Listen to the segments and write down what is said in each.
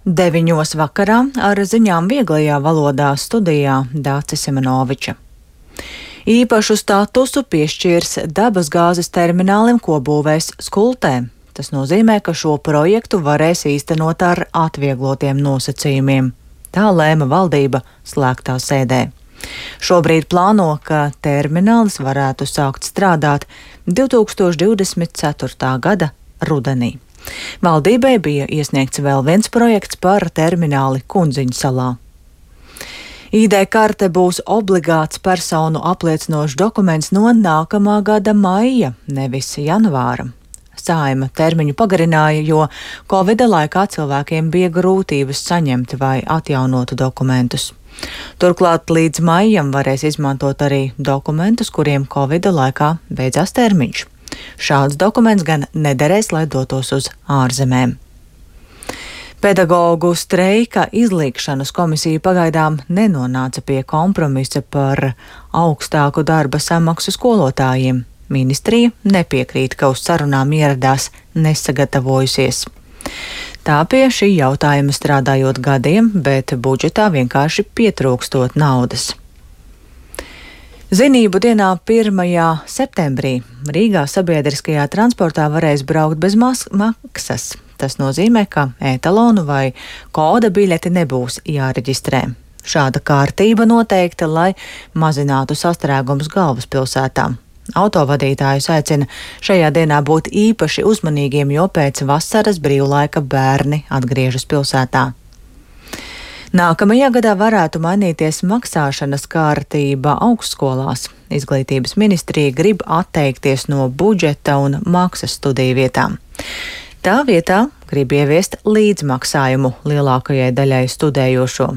9 vakarā ar ziņām vieglajā valodā studijā Dācis Simenoviča. Īpašu statusu piešķirs dabasgāzes terminālim, ko būvēs Skultē. Tas nozīmē, ka šo projektu varēs īstenot ar atvieglotiem nosacījumiem. Tā lēma valdība slēgtā sēdē. Šobrīd plāno, ka terminālis varētu sākt strādāt 2024. gada rudenī. Valdībai bija iesniegts vēl viens projekts par termināli Kundziņu salā. ID karte būs obligāts personu apliecinošs dokuments no nākamā gada maija, nevis janvāra. Saeima termiņu pagarināja, jo Covida laikā cilvēkiem bija grūtības saņemt vai atjaunot dokumentus. Turklāt līdz maijam varēs izmantot arī dokumentus, kuriem Covida laikā beidzās termiņš. Šāds dokuments gan nederēs, lai dotos uz ārzemēm. Pedagogu streika izlīgšanas komisija pagaidām nenonāca pie kompromisa par augstāku darba samaksu skolotājiem. Ministrija nepiekrīt, ka uz sarunām ieradās nesagatavojusies. Tā pie šī jautājuma strādājot gadiem, bet budžetā vienkārši pietrūkstot naudas. Zinību dienā 1. septembrī Rīgā sabiedriskajā transportā varēs braukt bez maksas. Tas nozīmē, ka etalonu vai koda biļeti nebūs jāreģistrē. Šāda kārtība noteikta, lai mazinātu sastrēgumus galvaspilsētā. Autovadītājus aicina šajā dienā būt īpaši uzmanīgiem, jo pēc vasaras brīvlaika bērni atgriežas pilsētā. Nākamajā gadā varētu mainīties maksāšanas kārtība augstskolās. Izglītības ministrija grib atteikties no budžeta un maksas studiju vietām. Tā vietā grib ieviest līdzmaksājumu lielākajai daļai studējošo.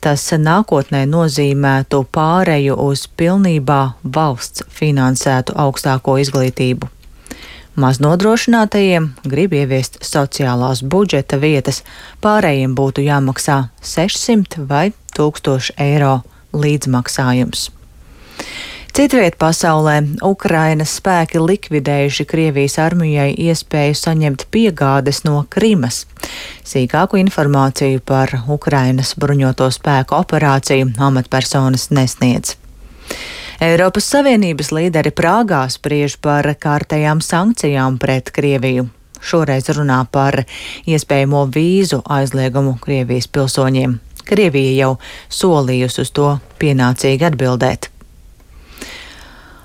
Tas nākotnē nozīmētu pāreju uz pilnībā valsts finansētu augstāko izglītību. Maznodrošinātajiem grib ieviest sociālās budžeta vietas, pārējiem būtu jāmaksā 600 vai 1000 eiro līdzmaksājums. Citviet pasaulē Ukrainas spēki likvidējuši Krievijas armijai iespēju saņemt piegādes no Krimas. Sīkāku informāciju par Ukrainas bruņoto spēku operāciju amatpersonas nesniedz. Eiropas Savienības līderi Prāgā spriež par kārtējām sankcijām pret Krieviju. Šoreiz runā par iespējamo vīzu aizliegumu Krievijas pilsoņiem. Krievija jau solījusi uz to pienācīgi atbildēt.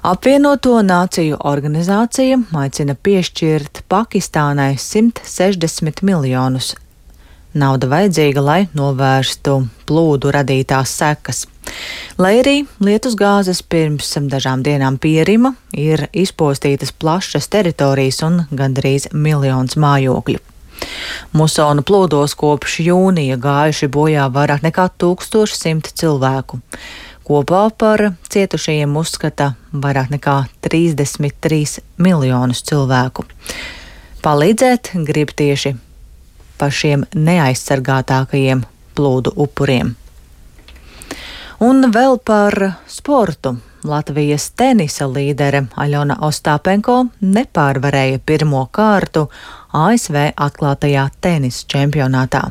Apvienoto Nāciju organizācija aicina piešķirt Pakistānai 160 miljonus. Nauda vajadzīga, lai novērstu plūdu radītās sekas. Lai arī lietusgāzes pirms dažām dienām pierima, ir izpostītas plašas teritorijas un gandrīz 1 miljons mājokļu. Musonu plūdos kopš jūnija gājuši bojā vairāk nekā 1100 cilvēku. Kopā par cietušajiem uzskata vairāk nekā 33 miljonus cilvēku. Palīdzēt grib tieši pašiem neaizsargātākajiem plūdu upuriem. Un vēl par sportu. Latvijas tenisa līdere Aļona Ostāpenko nepārvarēja pirmo kārtu ASV atklātajā tenisa čempionātā.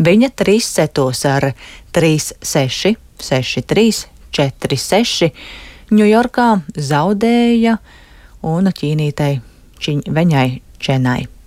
Viņa 3 setos ar 3-6, 6-3, 4-6 Ņujorkā zaudēja un ķīnītei Veņai Čenai.